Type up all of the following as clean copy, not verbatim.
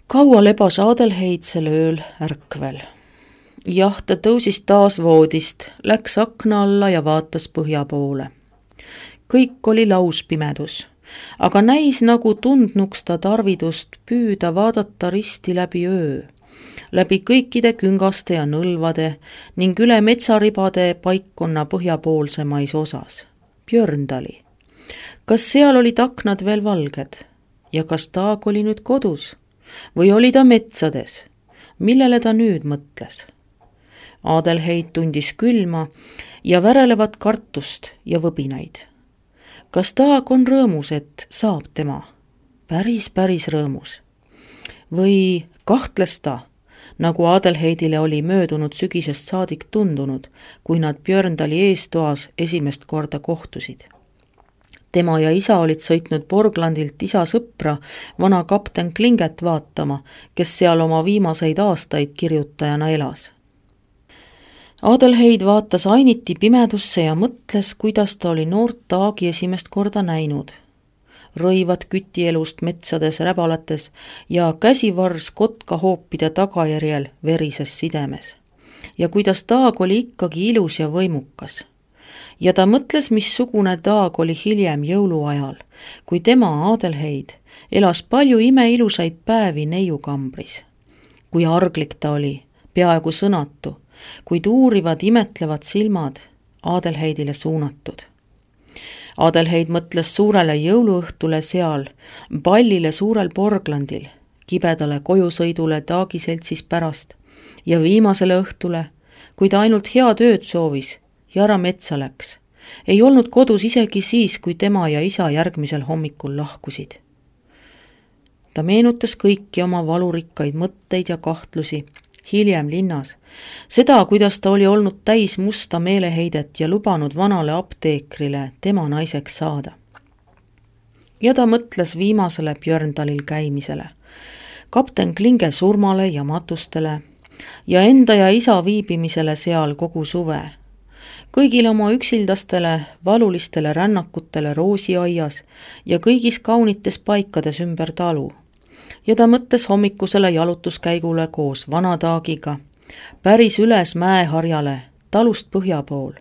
Kaua lebas Adelheid sel ööl ärkvel. Jah, ta tõusis taas voodist, läks akna alla ja vaatas põhja poole. Kõik oli lauspimedus, aga näis nagu tundnuks ta tarvidust püüda vaadata risti läbi öö, läbi kõikide küngaste ja nõlvade ning üle metsaribade paikkonna põhjapoolsemais osas. Björndali. Kas seal olid aknad veel valged ja kas Taag oli nüüd kodus? Või oli ta metsades? Millele ta nüüd mõtles? Adelheid tundis külma ja värelevat kartust ja võbinaid. Kas Taag on rõõmus, et saab tema? Päris rõõmus. Või kahtles ta, nagu Adelheidile oli möödunud sügisest saadik tundunud, kui nad Björndali eestoas esimest korda kohtusid. Tema ja isa olid sõitnud Borglandilt isa sõpra, vana kapten Klinget vaatama, kes seal oma viimaseid aastaid kirjutajana elas. Adelheid vaatas ainiti pimedusse ja mõtles, kuidas ta oli noort Taagi esimest korda näinud. Rõivad kütielust metsades räbalates ja käsivars kotkahoopide tagajärjel verises sidemes. Ja kuidas Taag oli ikkagi ilus ja võimukas. Ja ta mõtles, missugune Taag oli hiljem jõuluajal, kui tema, Adelheid, elas palju imeilusaid päevi neiukambris. Kui arglik ta oli, peaaegu sõnatu, kuid uurivad imetlevad silmad Adelheidile suunatud. Adelheid mõtles suurele jõuluõhtule seal, pallile suurel Borglandil, kibedale kojusõidule Taagi seltsis pärast ja viimasele õhtule, kui ta ainult head ööd soovis ja ära metsa läks. Ei olnud kodus isegi siis, kui tema ja isa järgmisel hommikul lahkusid. Ta meenutas kõiki oma valurikkaid mõtteid ja kahtlusi hiljem linnas, seda, kuidas ta oli olnud täis musta meeleheidet ja lubanud vanale apteekrile tema naiseks saada. Ja ta mõtles viimasele Björndalil käimisele, kapten Klinge surmale ja matustele ja enda ja isa viibimisele seal kogu suve, kõigile oma üksildastele, valulistele rännakutele roosiaias ja kõigis kaunites paikades ümber talu. Ja ta mõtles hommikusele jalutuskäigule koos vana Taagiga, päris üles mäeharjale, talust põhja pool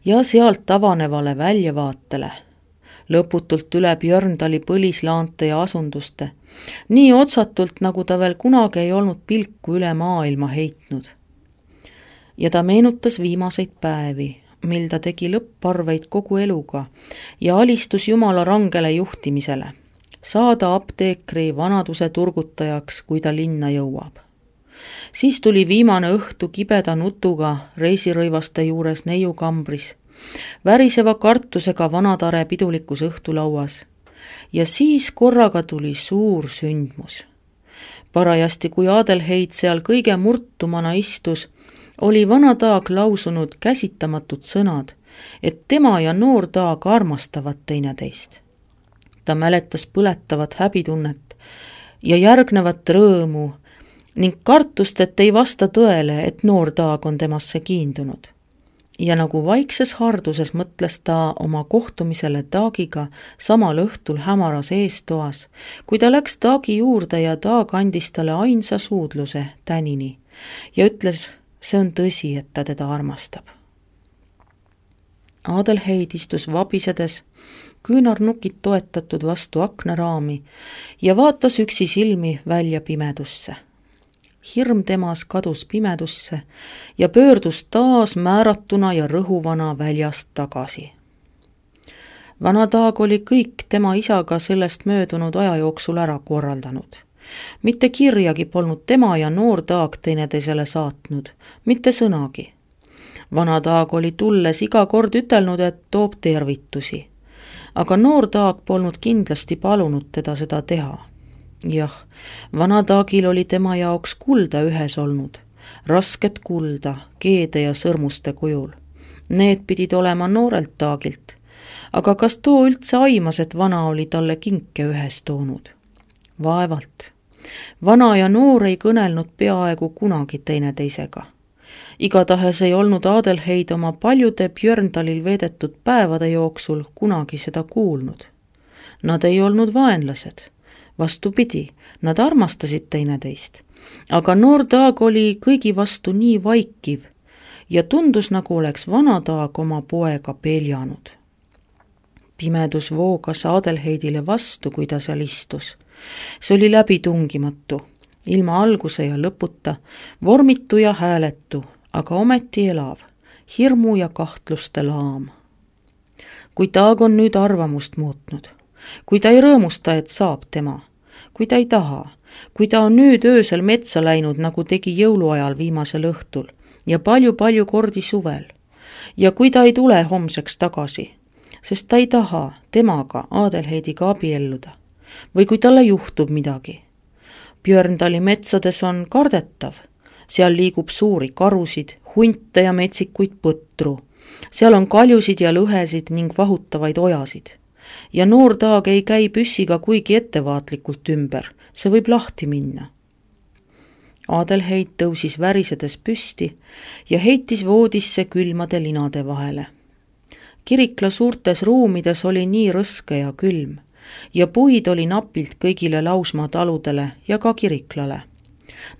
ja sealt avanevale väljavaatele, lõputult üle Björndali põlislaante ja asunduste, nii otsatult, nagu ta veel kunagi ei olnud pilku üle maailma heitnud. Ja ta meenutas viimaseid päevi, mil ta tegi lõpparveid kogu eluga ja alistus Jumala rangele juhtimisele, saada apteekri vanaduse turgutajaks, kui ta linna jõuab. Siis tuli viimane õhtu kibeda nutuga reisirõivaste juures neiukambris, väriseva kartusega vanatare pidulikus õhtulauas ja siis korraga tuli suur sündmus. Parajasti, kui Adelheid seal kõige murtumana istus, oli vana Taag lausunud käsitamatud sõnad, et tema ja noor Taag armastavad teineteist. Ta mäletas põletavat häbitunnet ja järgnevat rõõmu ning kartust, et ei vasta tõele, et noor Taag on temasse kiindunud. Ja nagu vaikses harduses mõtles ta oma kohtumisele Taagiga samal õhtul hämaras eestoas, kui ta läks Taagi juurde ja Taag andis talle ainsa suudluse tänini ja ütles, see on tõsi, et ta teda armastab. Adelheid istus vabisedes, küünarnukid toetatud vastu aknaraami ja vaatas üksi silmi välja pimedusse. Hirm temas kadus pimedusse ja pöördus taas määratuna ja rõhuvana väljast tagasi. Vana Taag oli kõik tema isaga sellest möödunud aja jooksul ära korraldanud. Mitte kirjagi polnud tema ja noor Taag teineteisele saatnud, mitte sõnagi. Vana Taag oli tulles iga kord ütelnud, et toob tervitusi, aga noor Taag polnud kindlasti palunud teda seda teha. Jah, vana Taagil oli tema jaoks kulda ühes olnud, rasket kulda, keede ja sõrmuste kujul. Need pidid olema noorelt Taagilt, aga kas too üldse aimas, et vana oli talle kinke ühes toonud? Vaevalt. Vana ja noor ei kõnelnud peaaegu kunagi teineteisega. Igatahes ei olnud Adelheid oma paljude Björndalil veedetud päevade jooksul kunagi seda kuulnud. Nad ei olnud vaenlased, Vastupidi, nad armastasid teineteist, aga noor Taag oli kõigi vastu nii vaikiv ja tundus, nagu oleks vana Taag oma poega peljanud. Pimedus voogas Adelheidile vastu, kui ta seal istus. See oli läbitungimatu, ilma alguse ja lõputa, vormitu ja hääletu, aga ometi elav, hirmu ja kahtluste laam. Kui Taag on nüüd arvamust muutnud, kui ta ei rõõmusta, et saab tema, kui ta ei taha, kui ta on nüüd öösel metsa läinud, nagu tegi jõuluajal viimasel õhtul ja palju-palju kordi suvel, ja kui ta ei tule homseks tagasi, sest ta ei taha temaga, Adelheidiga abielluda, või kui talle juhtub midagi. Björndali metsades on kardetav, seal liigub suuri karusid, hunte ja metsikuid põtru, seal on kaljusid ja lõhesid ning vahutavaid ojasid. Ja noor Taag ei käi püssiga kuigi ettevaatlikult ümber, see võib lahti minna. Adelheid tõusis värisedes püsti ja heitis voodisse külmade linade vahele. Kirikla suurtes ruumides oli nii rõske ja külm ja puid oli napilt kõigile Lausmaa taludele ja ka kiriklale.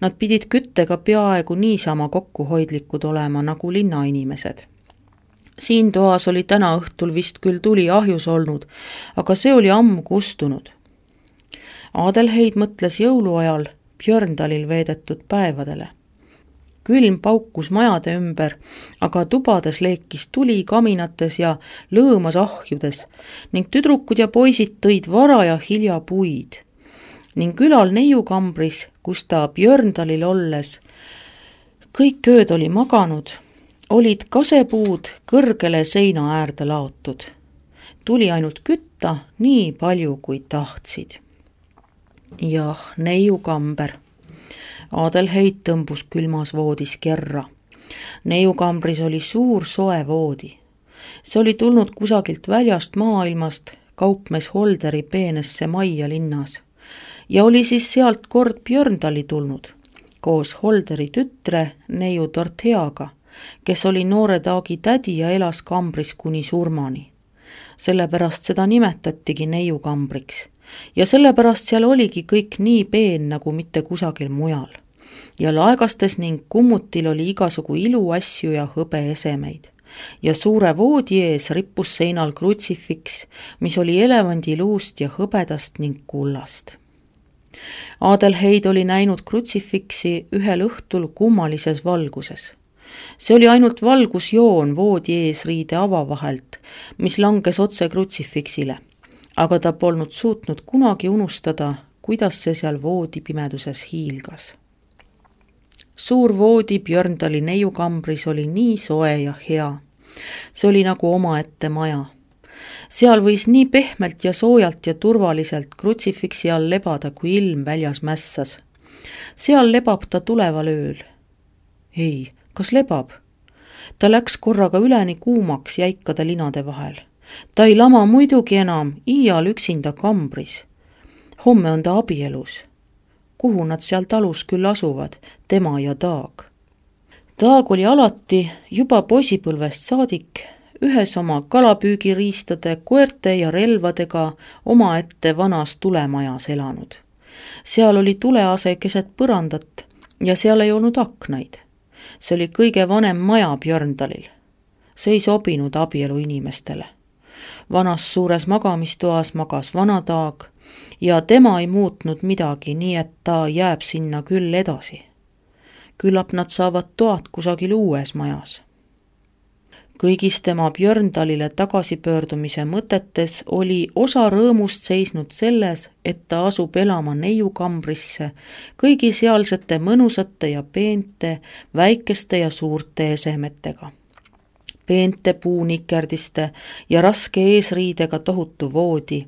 Nad pidid küttega peaaegu niisama kokkuhoidlikud olema nagu linnainimesed. Siin toas oli täna õhtul vist küll tuli ahjus olnud, aga see oli ammu kustunud. Adelheid mõtles jõuluajal Björndalil veedetud päevadele. Külm paukus majade ümber, aga tubades leekis tuli kaminates ja lõõmas ahjudes ning tüdrukud ja poisid tõid vara ja hilja puid. Ning külal neiukambris, kus ta Björndalil olles kõik ööd oli maganud, olid kasepuud kõrgele seina äärde laotud. Tuli ainult kütta nii palju, kui tahtsid. Jah, neiukamber. Adelheid tõmbus külmas voodis kerra. Neiukambris oli suur soe voodi. See oli tulnud kusagilt väljast maailmast kaupmees Holderi peenesse majja linnas ja oli siis sealt kord Björndali tulnud koos Holderi tütre neiu Dorotheaga, kes oli noore Taagi tädi ja elas kambris kuni surmani. Sellepärast seda nimetatigi neiukambriks ja sellepärast seal oligi kõik nii peen nagu mitte kusagil mujal. Ja laegastes ning kummutil oli igasugu iluasju ja hõbeesemeid. Ja suure voodi ees rippus seinal krutsifiks, mis oli elevandiluust ja hõbedast ning kullast. Adelheid oli näinud krutsifiksi ühel õhtul kummalises valguses. See oli ainult valgusjoon voodi eesriide avavahelt, mis langes otse krutsifiksile, aga ta polnud suutnud kunagi unustada, kuidas see seal voodi pimeduses hiilgas. Suur voodi Björndali neiukambris oli nii soe ja hea. See oli nagu omaette maja. Seal võis nii pehmelt ja soojalt ja turvaliselt krutsifiksi all lebada, kui ilm väljas mässas. Seal lebab ta tuleval ööl. Ei, kas lebab? Ta läks korraga üleni kuumaks jäikade linade vahel. Ta ei lama muidugi enam iial üksinda kambris. Homme on ta abielus. Kuhu nad seal talus küll asuvad, tema ja Taag. Taag oli alati juba poisipõlvest saadik ühes oma kalapüügiriistade, koerte ja relvadega omaette vanas tulemajas elanud. Seal oli tulease keset põrandat ja seal ei olnud aknaid. See oli kõige vanem maja Björndalil. See ei sobinud abielu inimestele. Vanas suures magamistoas magas vana Taag ja tema ei muutnud midagi, nii et ta jääb sinna küll edasi. Küllap nad saavad toad kusagil uues majas. Kõigis tema Björndalile tagasipöördumise mõtetes oli osa rõõmust seisnud selles, et ta asub elama neiukambrisse kõigi sealsete mõnusate ja peente, väikeste ja suurte esemetega. Peente puunikerdiste ja raske eesriidega tohutu voodi,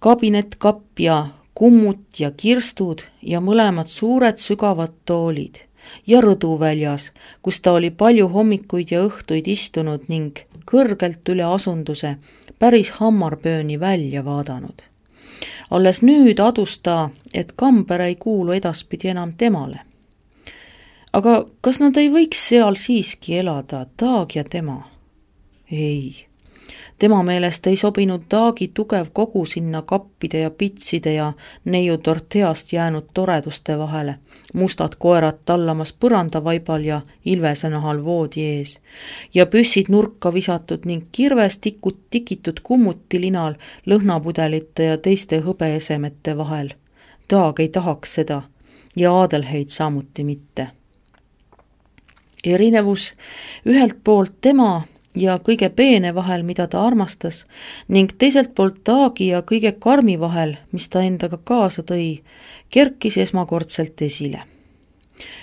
kabinetkapp ja kummut ja kirstud ja mõlemad suured sügavad toolid ja rõdu väljas, kus ta oli palju hommikuid ja õhtuid istunud ning kõrgelt üle asunduse päris hammarbööni välja vaadanud. Alles nüüd adus ta, et kamber ei kuulu edaspidi enam temale. Aga kas nad ei võiks seal siiski elada, Taag ja tema? Ei, Tema meelest ei sobinud Taagi tugev kogu sinna kappide ja pitside ja neiu Dorotheast jäänud toreduste vahele, mustad koerad tallamas põrandavaibal ja ilvese nahal voodi ees ja püssid nurka visatud ning kirves tikitud kummutilinal lõhnapudelite ja teiste hõbeesemete vahel. Taag ei tahaks seda ja Adelheid samuti mitte. Erinevus ühelt poolt tema ja kõige peene vahel, mida ta armastas, ning teiselt poolt Taagi ja kõige karmi vahel, mis ta endaga kaasa tõi, kerkis esmakordselt esile.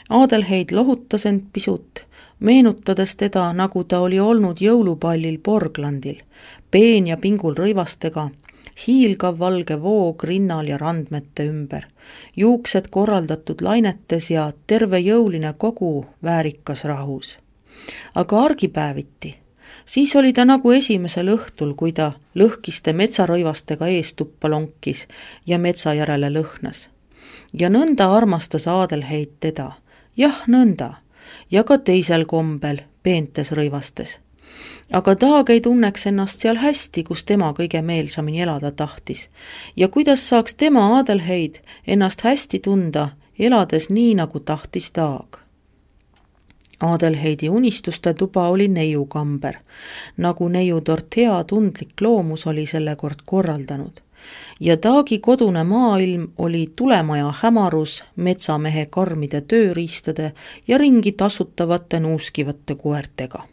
Adelheid lohutas end pisut, meenutades teda, nagu ta oli olnud jõulupallil Borglandil, peen ja pingul rõivastega, hiilgav valge voog rinnal ja randmete ümber, juuksed korraldatud lainetes ja terve jõuline kogu väärikas rahus. Aga argipäeviti, siis oli ta nagu esimesel õhtul, kui ta lõhkiste metsarõivastega eestuppa lonkis ja metsa järele lõhnas. Ja nõnda armastas Adelheid teda, jah nõnda, ja ka teisel kombel, peentes rõivastes. Aga Taag ei tunneks ennast seal hästi, kus tema kõige meelsamini elada tahtis. Ja kuidas saaks tema Adelheid ennast hästi tunda, elades nii, nagu tahtis Taag? Adelheidi unistuste tuba oli neiukamber, nagu neiu Dorothea tundlik loomus oli selle kord korraldanud. Ja Taagi kodune maailm oli tulemaja hämarus, metsamehe karmide tööriistade ja ringi tasutavate nuuskivate koertega.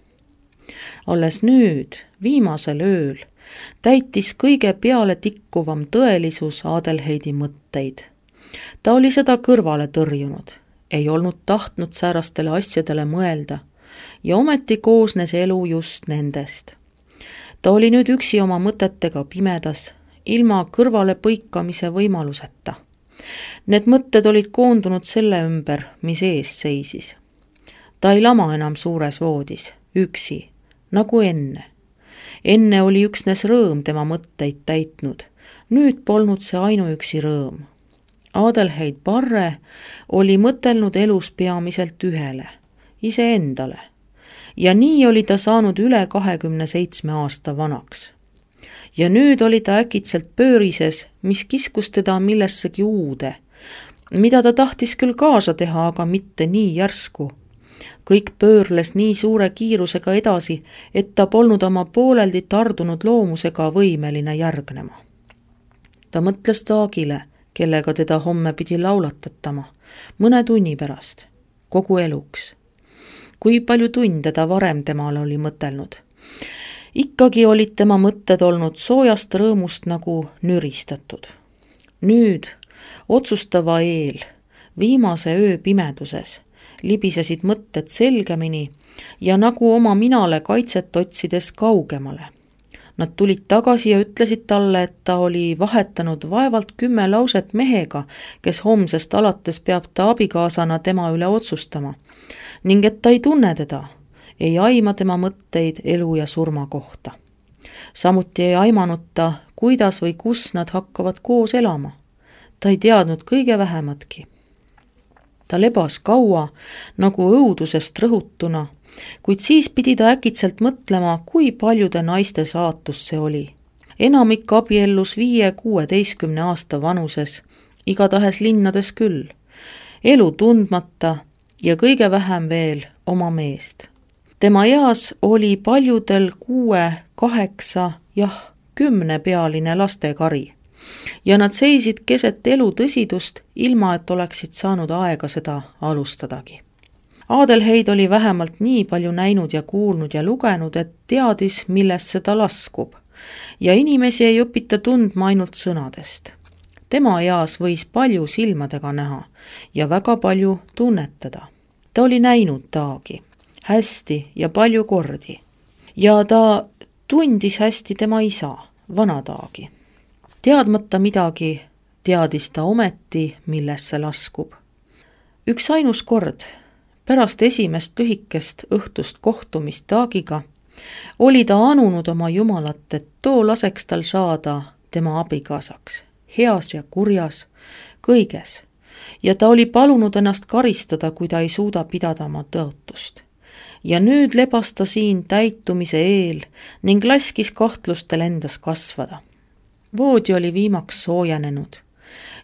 Alles nüüd, viimasel ööl, täitis kõige peale tikkuvam tõelisus Adelheidi mõtteid. Ta oli seda kõrvale tõrjunud, ei olnud tahtnud säärastele asjadele mõelda ja ometi koosnes elu just nendest. Ta oli nüüd üksi oma mõtetega pimedas, ilma kõrvale põikamise võimaluseta. Need mõtted olid koondunud selle ümber, mis ees seisis. Ta ei lama enam suures voodis, üksi, nagu enne. Enne oli üksnes rõõm tema mõtteid täitnud, nüüd polnud see ainuüksi rõõm. Adelheid Parre oli mõtelnud elus peamiselt ühele, iseendale, ja nii oli ta saanud üle 27 aasta vanaks. Ja nüüd oli ta äkitselt pöörises, mis kiskus teda millessegi uude, mida ta tahtis küll kaasa teha, aga mitte nii järsku. Kõik pöörles nii suure kiirusega edasi, et ta polnud oma pooleldi tardunud loomusega võimeline järgnema. Ta mõtles Taagile, kellega teda homme pidi laulatatama, mõne tunni pärast, kogu eluks. Kui palju tunde ta varem temale oli mõtelnud. Ikkagi olid tema mõtted olnud soojast rõõmust nagu nüristatud. Nüüd, otsustava eel, viimase öö pimeduses, libisesid mõtted selgemini ja nagu oma minale kaitset otsides kaugemale. Nad tulid tagasi ja ütlesid talle, et ta oli vahetanud vaevalt 10 lauset mehega, kes homsest alates peab ta abikaasana tema üle otsustama, ning et ta ei tunne teda, ei aima tema mõtteid elu ja surma kohta. Samuti ei aimanud ta, kuidas või kus nad hakkavad koos elama. Ta ei teadnud kõige vähematki. Ta lebas kaua, nagu õudusest rõhutuna, kuid siis pidi ta äkitselt mõtlema, kui paljude naiste saatus see oli. Enamik abiellus 5-16 aasta vanuses, igatahes linnades küll, elu tundmata ja kõige vähem veel oma meest. Tema eas oli paljudel 6, 8, 10 pealine lastekari. Ja nad seisid keset elu tõsidust, ilma et oleksid saanud aega seda alustadagi. Adelheid oli vähemalt nii palju näinud ja kuulnud ja lugenud, et teadis, millesse ta laskub. Ja inimesi ei õpita tundma ainult sõnadest. Tema eas võis palju silmadega näha ja väga palju tunnetada. Ta oli näinud Taagi, hästi ja palju kordi. Ja ta tundis hästi tema isa, vana Taagi. Teadmata midagi, teadis ta ometi, millesse laskub. Üks ainus kord, pärast esimest lühikest õhtust kohtumist Taagiga, oli ta anunud oma jumalat, et too laseks tal saada tema abikaasaks, heas ja kurjas, kõiges, ja ta oli palunud ennast karistada, kui ta ei suuda pidada oma tõotust. ja nüüd lebas ta siin täitumise eel ning laskis kahtlustel endas kasvada. Voodi oli viimaks soojenenud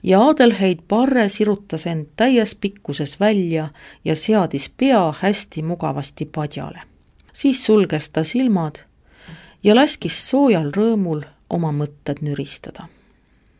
ja Adelheid Parre sirutas end täies pikkuses välja ja seadis pea hästi mugavasti padjale. Siis sulges ta silmad ja laskis soojal rõõmul oma mõtted nüristada.